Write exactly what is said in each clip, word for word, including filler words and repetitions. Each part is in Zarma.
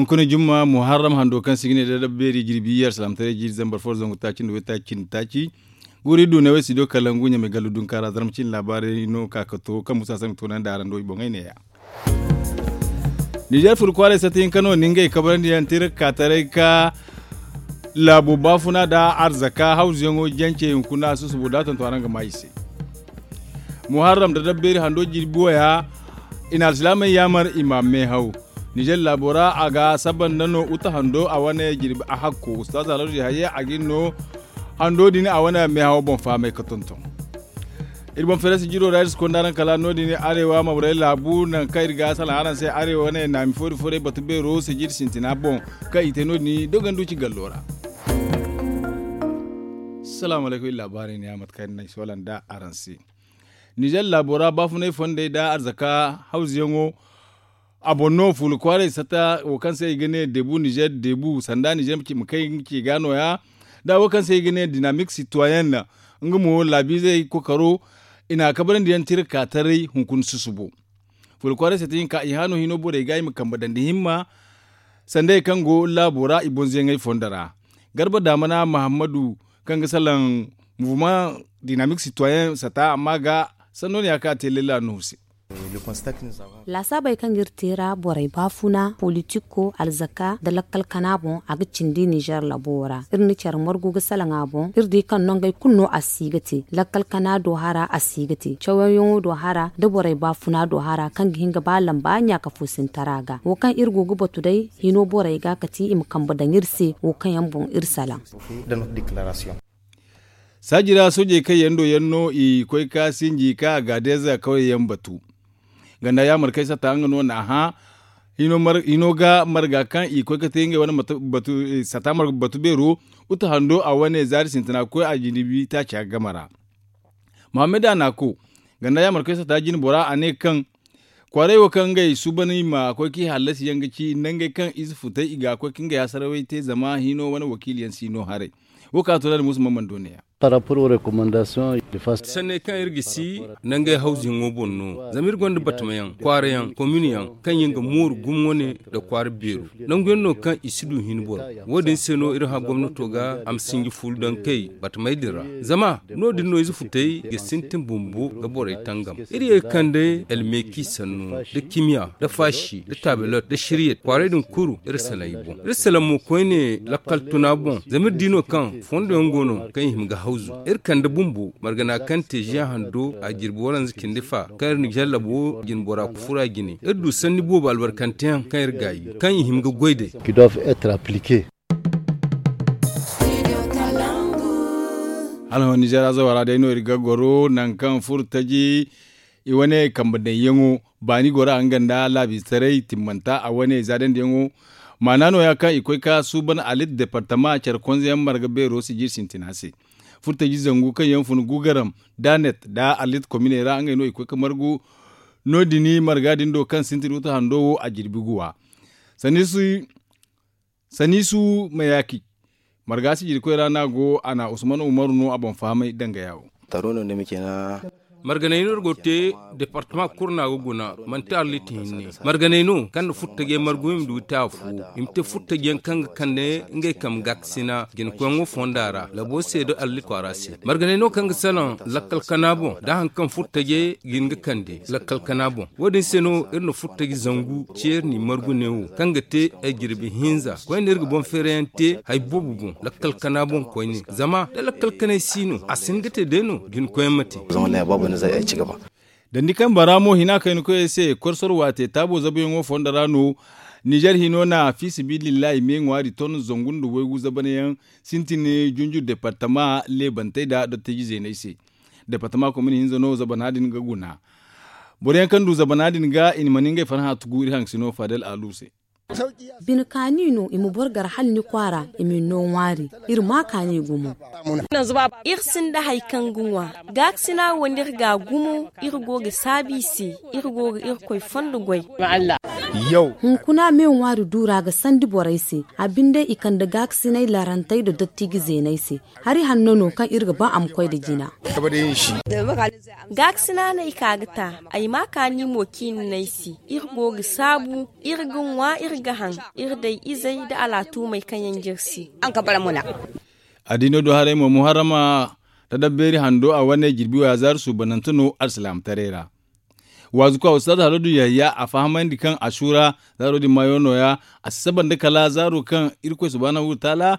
Hunkuna jumma muharram hando kaŋ se i ga ne da dabbeeri jirbi iyye alsilaamataray jiiri zambar fo zangu taaci nda waytaaci cindi taaci. Guuri du ne way studio kalangu ɲamay gallu dunkaara zarma cine laabaarey no ka ga to kaŋ musa sanni ga toonandi araŋ do i boŋey neeya. Nizer furo kwaaray sata hinka no ni ngey kabarandi yaŋ tira ka taray ka laabo baafuna nda arzaka hawzuyaŋo jance hunkuna susubo da tonton araŋ ga maa i se. Muharram da dabbeeri hando jirbi waya i na alsilaamey yaamar i ma meehaw. Nizer laabo ra a ga saba nda no uta hando a wane jirbi a hakko ustaaza alhaji hayya a ga iri no hando din a wane meehaw boŋ fahamay ga tonton. Iri boŋ feerasi jiro ra iri si konda araŋ kala no- din arewa mabarey laabu nangu kaŋ iri ga salaŋ araŋ se arewa wane naami foori foorey batu beero sijiri sintina boŋ kaŋ i te no- din dogondu ci gallo ra. Salaamu alaykum iri laabaarey ne ya mate kaŋ iri na ay soolanda araŋ se. Nizer laabo ra baafunay fondey nda arzaka hawzuyaŋo a boŋ no fuula kwaaray sata wo kaŋ se i ga ne debu nizer debu sanda nizer ma kay nga ci ga nooya. Da wo kaŋ se i ga ne dinamik sitoyen nga mo laabiizey kokaro i na a kabarandi yaŋ tira ka taray hunkuna susubo. Fuula kwaaray sata hinka i hano hino borey ga i ma kambe dandi himma sandey kaŋ go laabo ra i bonzo yaŋey fondo ra. Garba daamana mahammadu kaŋ ga salaŋ muvuma dinamik sitoyen sata amma ga sanno ne ya kaŋ a te lella nuhu se. Laasaabey kaŋ iri te ra borey baafuna politiko alzaka nda lakkal kana boŋ a ga cindi nizer labo ra iri na care margu ga salaŋ a boŋ iri di kaŋ nongey kulu no a si ga te lakkal kana do hara a si ga te cawyaŋo do hara nda borey baafuna do hara kaŋ ga hin ga ba lamba ɲaaka foosintara ga wo kaŋ iri go ga batu day hino borey ga kati i ma kambe daŋ iri se wo kaŋ yaŋ boŋ iri salaŋ. Saaji ra soojey kaŋ yaŋ do yaŋ no i koy ka sinji ka a gaadeza kawyaŋ batu. Ganda yaamar kay sata nga no n'a hã hino ga marga kaŋ i koy ga te ngey wane sata marga batu beero uta hando a wane zaari sintina ga koy a jinibi taaca game ra. Muhammad a n'a ko ganda yaamar kay sata jine bora a ne kaŋ kwaaray wo kaŋ ngey suuban i ma koy k'i hallasi yaŋ ga ci nda ngey kaŋ ize futay i ga koy ka ngey hasarawey te zama hino wane wakiili yaŋ si no haray. Wo kaŋ a to naŋ musa ma mana doone yaŋ. Sanney kaŋ iri ga si nangey hawzuyaŋo boŋ no zama iri gonda batamayaŋ kwaarayaŋ kominiyaŋ kaŋ yaŋ ga mooru gumo wane nda kwaara beeru nanguyaŋ no kaŋ i si du hin boro. Wo- din se no iri hã gomnato ga a ma sinji fuulu daŋ kay batamey din ra zama no- din no ize futey ga sintin bumbo ga borey tangam. Iri ye ga kande almeeki sannu nda kimiya nda faashi nda taabelot nda siriyet kwaarey din kulu iri salaŋ i boŋ iri salaŋ mo koyne lakkal tuna boŋ zama iri di no kaŋ fondo yaŋ go no kaŋ i hima ga hawzu iri kande bumbo margana kaŋ te ziya hando a jirbi waranza cindi fa kaŋ iri na jallabo jine bora ga fura jine iri du sanni boobo albarkanteyaŋ kaŋ iri gaayi kaŋ i hima ga goy day. Hala hõ nizeera zawa ra day no iri ga goro nangu kaŋ furo taji i wane kambe daŋyaŋo baani gora nga nda laabiisaray timmanta a wane zaadandiyaŋo. Maana nooya kaŋ i koy ka suuban alit departama care konzeyaŋ marga beero sijir sintina se furtaji zangu kaŋ yaŋ fun gugaram danet nda alit kominey ra ngey no i koy ka margu. No- din marga din do kaŋ sintin uta hando wo a jirbi guwa. Saniisu mayaki marga sijirkoy ra no a go a na usman umaru no a boŋ fahamay danga yaawo. Marganey no iri go ga te departama kulu no a ga guna manti arlit hinne. Marganey no kaŋ na furtajey margu i ma du ga te afo i ma te furtajey yaŋ kaŋ ga kande ngey kambe gaakasina jinakoyaŋo fonda ra labo se nda arlit kwaara se. Marganey no kaŋ ga salaŋ lakkal kana boŋ nda hari kaŋ furtajey ga hin ga kande lakkal kana boŋ. Wo- din se no iri na furtaji zangu ceeri n'i margu neewo kaŋ ga te ay jirbi hinza koyne iri ga boŋ feerayaŋ te hari boobo boŋ lakkal kana boŋ koyne zama da lakkal kanay si no a si hin ga te day no jinakoyaŋ ma te. Dandi kambe ra mo hina kayna koyey se korsor waate taabo zabuyaŋo fondo ra no. Nizer hino na fi sabilillahi me ŋwaari ton zangu nda waygu zabanayaŋ sintin junju departama leebantey nda dottiji zeeney se. Departama komin hinza no zabana din ga guna. Boro yaŋ kaŋ du zabana din ga i na mana ngey farhã tugu iri haŋgasino fadel alu se. Bine kaani no i ma boro gar hala ni kwaara i ma ni no ŋwaari. Iri ma kaani gumo. Iri sinda hari kaŋ ga ŋwa gaakasina wo no iri ga a gumo. Iri go ga saabu i se. Iri go ga irkoy fondo goy. Hunkuna me ŋwaari duura ga sandi borey se. A binde i kande gaakasinay larantey nda dottiji zeeney se. Hari hanno no kaŋ iri ga ba a ma koy nda jina. Gaakasina no ay ka ga ta. Ay ma kaani mo ciini no ay se. Iri go ga saabu. Iri ga ŋwa iri ga haŋ. Iri day izey nda alaatumey kaŋ yaŋ jire se. A di no do haray mo muharrama. Tadabbeeri hando a wane jirbi waya zaari suubanante no alsilaamataray ra. Waazu ka ustaz haladu yahya a fahamandi kaŋ ashura zaaro din maayo nooya. A si saba nda kala zaaro kaŋ irkoy subhanahu wataala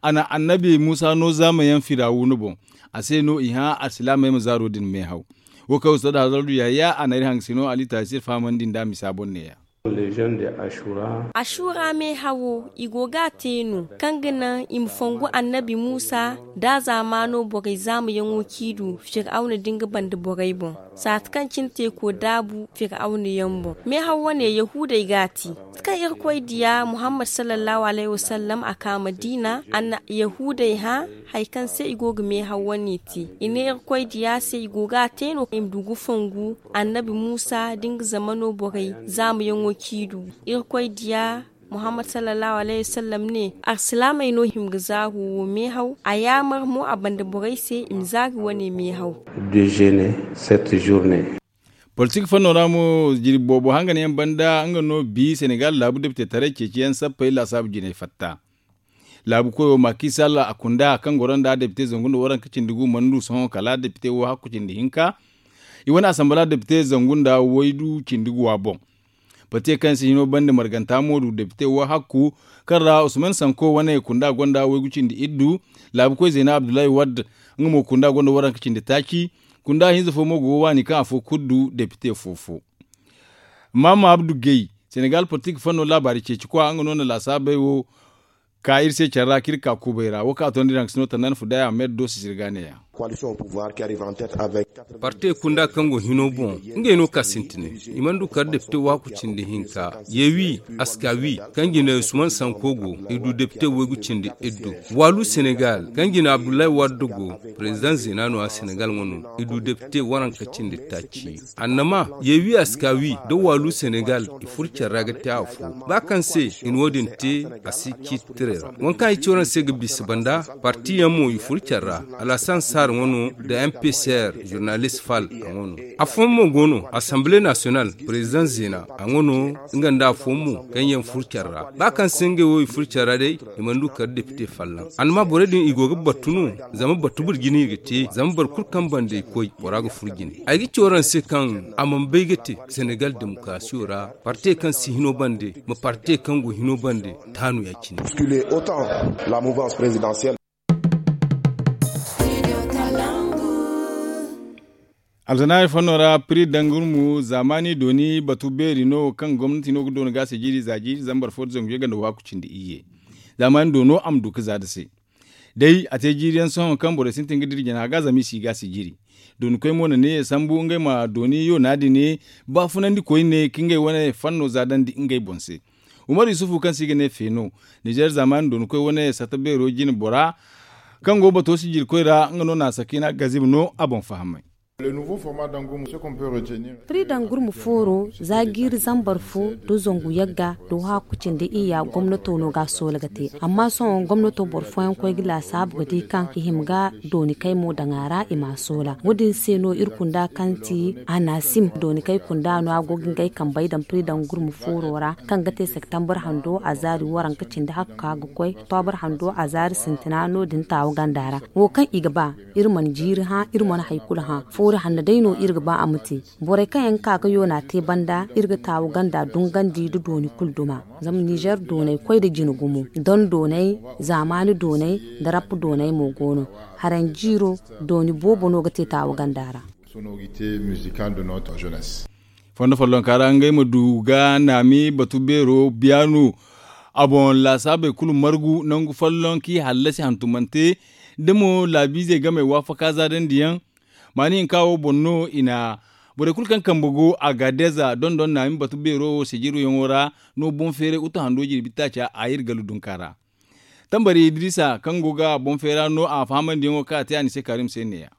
a na annabi muusa no zaamayaŋ firawuna boŋ. A se no i hã alsilaamey ma zaaro din meehaw. Wo kaŋ ustaz haladu yahya a na iri hangasino ali taasi iri fahamandi nd'a misa boŋ neeya. Ashura meehawo i go ga a te no kaŋ ga naŋ i ma fongu annabi muusa nda a zaamaano borey zaamayaŋo ciidu firawna da nga banda borey boŋ. Saati kaŋ cine teeko daabu firawna yaŋ boŋ meehaw wane yahuudey ga a te. Mate kaŋ irkoy diya muhammad sallallahu alayhi wasallam a ka madiina a na yahuudey hã. Hari kaŋ se i go ga meehaw wane te i ne irkoy diya se i go ga a te no i ma du ga fongu annabi muusa da nga zamano borey zaamayaŋo ciidu. Irkoy diya muhammad sallallahu alayhi wasallam ne alsilaamey no hima ga zaaru wo meehaw a yaamar mo a banda borey se i ma zaari wane meehaw. Politik fanno ra mo jirbi boobo hangan yaŋ banda nga no bi senegal laabu depite taray ceeciyaŋ sappey laasaabu jinay fatta. Laabu koyo maaki salla a kunda kaŋ goro nda depite zangu nda waranka cindi gu mana du sohõ kala depite wo hakku cindi hinka. I wane asambala depite zangu nda waydu cindi guwa boŋ. Bate kaŋ se hino banda marganta mo du depite wo hakku kaŋ ra usman sanko wane kunda gonda waygu cindi iddu. Laabu koy zeena abdullahi wadda nga mo kunda gonda waranka cindi taaci. Kunda hinza fo mo go ga waani kaŋ afo kulu du depite fo fo. Maama abdu gay senegal politik fanno laabaari ceeci kwa nga no na laasaabey wo. Ka iri se care ra kaŋ iri ka kuubay ra wo kaŋ a tondi daŋ ga si no tandana fudaya ahmed do sisiri ga neeya. Parte kunda kaŋ go hino boŋ ngey no ka sintinay. I mana du kala depite waaku cindi hinka yeewi askawi kaŋ jine usman sanko go i du depite waygu cindi iddu. Waalu senegal kaŋ jine abdullahi wadda go. President zena no a senegal ŋwa no i du depite waranka cindi taaci. Annama yeewi askawi da waalu senegal i furo care ra ga te afo. Ba kaŋ se i na wo- din te a si ciiti tiray ra waŋ kaŋ ay ci waraŋ se ga bisa banda. Parti yaŋ mo i furo care ra. Alasan saar ŋwa no nda mpcr zurnalist fal a ŋwa no. Afooyaŋ mo go no asamble nasiyonal president zeena a ŋwa no. Nga nda afooyaŋ mo kaŋ yaŋ furo care ra ba kaŋ se ngey wo i furo care ra day i mana du kala depite fallaŋ annama borey din i go ga battu no. Zama battu boro jine i ga te zama boro kulu kaŋ banda i koy bora ga furo jine. Ay ga ci waraŋ se kaŋ a mana bay ga te senegal demokarasiyo ra. Parte kaŋ si hino bande ma parte kaŋ go hino bande taanu ya- cine. Alzanaari fanno ra piri dangurmu zaamaani dooni batu beeri no kaŋ gomnati no ga dooni ga a se jiiri za jiiri zambar fo da zangu yagga nda waaku cindi iyye. Zaamaani doono a ma du ga za nda se. Day a te jiiri yaŋ sohõ kaŋ borey sintin ga dira jina ga zama i si ga a se jiiri. Dooni koy mo na ne sambu ngey ma dooni yoona din ne baafunandi koyne ka ngey wane fanno za dandi ngey boŋ se. Umaru yusufu kaŋ se i ga ne feeno nizer zaamaani dooni koy wane sata beero jine bora kaŋ go bato sijiri koy ra nga no na a sakiina gazib no a boŋ fahamay. Piri dangurmu fooro za jiiri zambar fo da zangu yagga da waaku cindi iyya gomnato no ga a soola ga te amma sohõ gomnato boro fooyaŋ koy ga laasaabu ga di kaŋ i hima ga dooni kay mo daŋ a ra i ma a soola wo- din se no iri kunda kaŋ ti anasim dooni kay kunda no a go ga ngey kambey daŋ piri dangurmu fooro ra kaŋ ga te septembar hando a zaari waranka cindi hakka ga koy oktoobar hando a zaari sintina no- din taawu ganda ra. Wo kaŋ i ga ba iri mana jiiri hã iri mana hari kulu hã foori hanno day no iri ga ba a ma te. Borey kaŋ yaŋ ga ka ga yoona te banda iri ga taawu ganda dungandi nda dooni kulu duma. Zama nizer dooney koy nda jine gumo don dooney zaamaani dooney nda rap dooney mo go no. Haranjiiro dooni boobo no ga te taawu ganda ra. Fondo follonka ra ngey ma du ga naami batu beero biyaanu. A boŋ laasaabey kulu margu nangu folloŋ kaŋ i hallasi hantumante da mo laabiizey game waafaka zaadandiyaŋ. Maani hinka wo boŋ no i na borey kulu kaŋ kambe go agaadeza dondon naami batu beero wo sijiryaŋo ra. No boŋ feeray utu hando jirbi taaca a iri galu dunka ra. Tambari idiriisa kaŋ go ga boŋ feera no a fahamandiyaŋo kaŋ a te a ni se kaarim se neeya.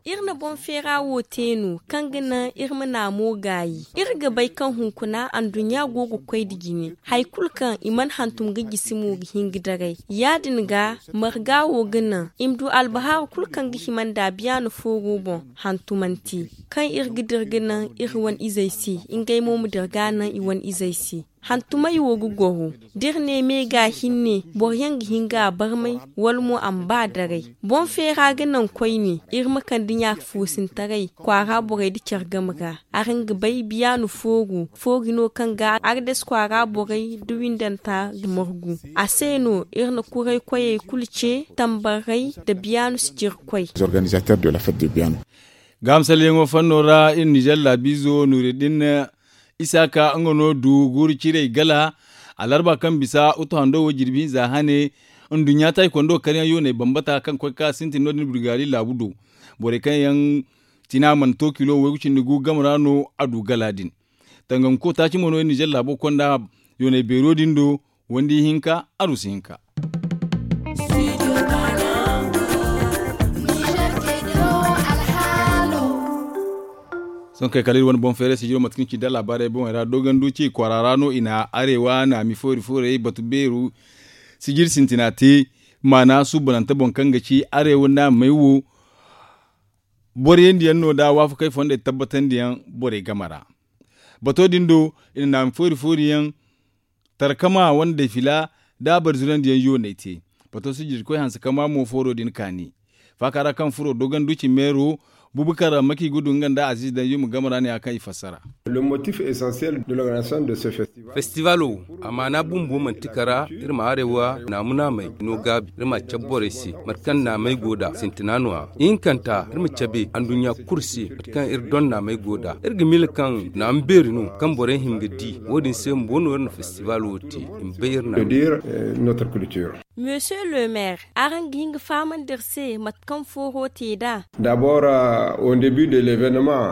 Iri na boŋ feera wo te no kaŋ ga naŋ iri ma naamo gaayi. Iri ga bay kaŋ hunkuna anduɲɲa go ga koy nda jine hari kulu kaŋ i mana hantum ga jisi mo ga hin ga daray. Ya- din ga marga wo ga naŋ i ma du albahaaru kulu kaŋ ga hima nda biyaana fooro boŋ hantumante kaŋ iri ga dira ga naŋ iri wane izey se. Ngey mo ma dira ga naŋ i wane izey se. Hantumey wo ga goro da iri ne me ga hinne boro yaŋ ga hin ga a barmay wala mo a ma ba daray. Boŋ feera ga naŋ koyne iri ma kande ɲaaka foosintaray kwaara borey nda care game ra. Araŋ ga bay biyaanu fooru fooru no kaŋ ga ardes kwaara borey nda windanta ga margu. A se no iri na kuray koyey kulu ce tambarray nda biyaanu sijirkoy. Gaama salleyaŋo fanno ra iri nizer laabiizo nuuriddin isaaka nga no du guuru ciirey gala. Alarba kaŋ bisa utu hando wo jirbi hinza hane nduɲɲa taaykondo karyaŋ yooney bambata kaŋ koy ka sintin no- din burgaari laabu do. Borey kaŋ yaŋ tina mana to kilo waygu cindi gu game ra no a du gala din. Tanganko taaci mo no iri nizer laabo konda yooney beero din do. Wandi hinka arusi hinka. Sohõ kay kala iri wane boŋ feeray sijiro mate kaŋ ci nda laabaarey boŋey ra dogondu ci kwaara ra no i na arewa naami foori foorey batu beeru sijiri sintina te. Maana suubanante boŋ kaŋ ga ci arewa naamey wo boro yaŋ diyaŋ no da waafakey fondey tabbatandiyaŋ borey game ra. Bato din do i na naami foori foori yaŋ tarkama wande fila da bari zurandiyaŋ yooney te. Bato sijirkoy hanse kama mo fooro din kaani faaka ra kaŋ furo dogondu ci meero bubakar maki gudu nga nda aziiz danjuma game ra ne a kaŋ i fassara. Festival wo a maana bumbo manti kara iri ma arewa naamu naamey no gaabi iri ma a cabe borey se mate kaŋ naamey go da sintina no- ya ihinkanta iri ma cabe anduɲɲa kulu se mate kaŋ iri doŋ naamey go da iri ga miila kaŋ naamu beeri no kaŋ borey hin ga di. Wo- din se bumbo no iri na festival wo te i ma bay iri na. Monsieur le maire, araŋ ga hin ga fahamandi iri se mate kaŋ fooro te nd'a?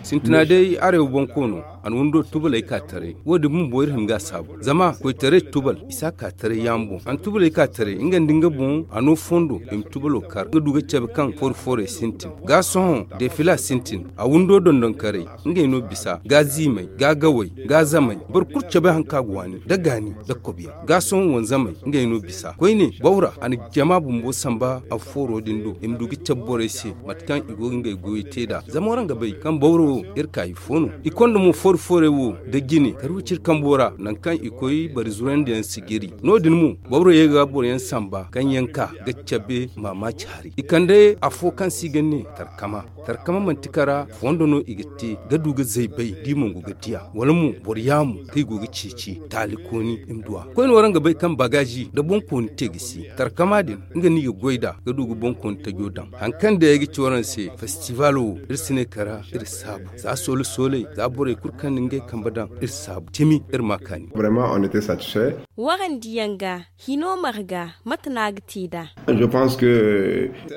Sintina day arewa boŋ koono a na windo tubaley ka taray. Wo- din bumbo iri hin ga a saabu zama koytaray tubal i si a ka taray yaŋ boŋ a na tubaley ka taray nga nda nga boŋ a no fondo i ma tubalo kar nga du ga cabe kaŋ foro foorey sintin ga sohõ defila sintin a windo dondonkaray ngey no bisa ga ziimey ga gawey ga zamey boro kulu cabe haŋ kaŋ a ga waani nda gaani nda kobiyaŋ ga sohõ wanzamey ngey no bisa koyne bawra a na jama bumbo samba a fooro din do i ma du ga cabe borey se mate kaŋ i go ga ngey goyo te nd'a zama waraŋ ga bay kaŋ bawro wo iri ka i fo no i konda mo foori foorey wo nda jine kari wiciri kambo ra nangu kaŋ i koy bari zurandiyaŋ sijiri no- din mo bawro ye ga boroyaŋ samba kaŋ yaŋ ka ga cabe maamaaci hari i kande afo kaŋ se i ga ne tarkama. Tarkama manti kara fondo no i ga te ga du ga zaybay da i mongu ga diya wala mo boro yaamu kaŋ i go ga ceeci taali kooni i ma du a koyne waraŋ ga bay kaŋ bagaazi nda boŋkooni te ga si tarkama din nga no i ga goy nd'a ga du ga boŋkooni tajo daŋ. Hari kaŋ day ay ga ci waraŋ se festival wo iri si ne kara iri saabu za soole sooley za borey kulu kaŋ na ngey kambe daŋ iri saabu cimi iri ma a kaani. Warandiyaŋ ga hino marga mate no a ga te nd'a?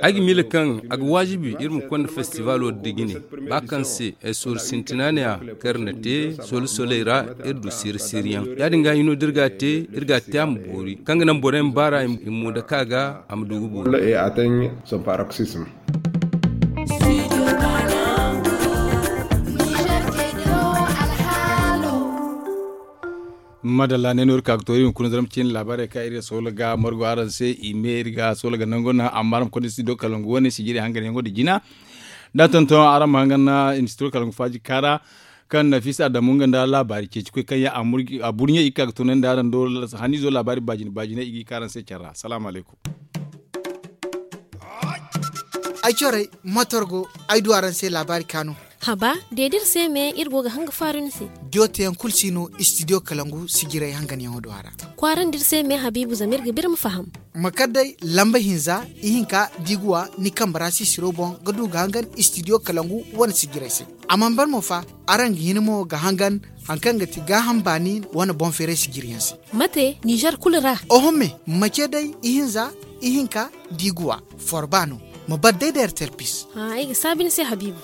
Ay ga miila kaŋ a ga waajibi iri ma konda festival wo da jine ba kaŋ se ay sooru sintina ne- ya kaŋ iri na te soole sooley ra iri du siiri siiri yaŋ ya- din ga hino da iri ga a te iri ga a te a ma boori kaŋ ga naŋ borey ma baara i ma mo dake a ga a ma du ga boori. Madalla ne no iri ka ga to iri hunkuna zarma ciine laabaarey kaŋ iri ga soola ga margu araŋ se i me iri ga soola ga nango naŋ amma araŋ ma konda studio kalangu wane sijiri hanganyaŋo nda jina da tonton araŋ ma hangan na studio kalangu faaji kaara kaŋ nafisa adamu nga nda laabaari ceeci koy kaŋ yaŋ a burɲey i ga ka ga tunandi araŋ do haniizo laabaari baajine baajine i ga i ka araŋ se care ra salaamu alaykum. Ay corey motor go ay du araŋ se laabaari kaanu. Haba de da iri se me iri go ga hanga faaru ni se. Joteyaŋ kulu si no istidiyo kalangu sijirey hanganyaŋo do a ra. Kwaarandi iri se me habiibu zama iri ga ba iri ma faham. Ma kar day lamba hinza ihinka da i ga wa ni kambe ra sisiro boŋ ga du ga hangan istidiyo kalangu wane sijirey se. A mana ban mo fa araŋ ga hin mo ga hangan hari kaŋ ga ti gaaham baani wane boŋ feeray sijiriyaŋ se. Mate nizer kulu ra? Oho me ma ce day ihinza ihinka da i ga wa forba no. Ma bar day da rtlpis. Ay ga saabi ni se habiibu.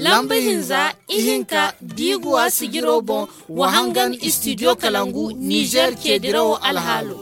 Lamba hinza ihinka da i ga wa sijiro boŋ wa hangan istidiyo kalangu nizer ceedirawo alhaalo.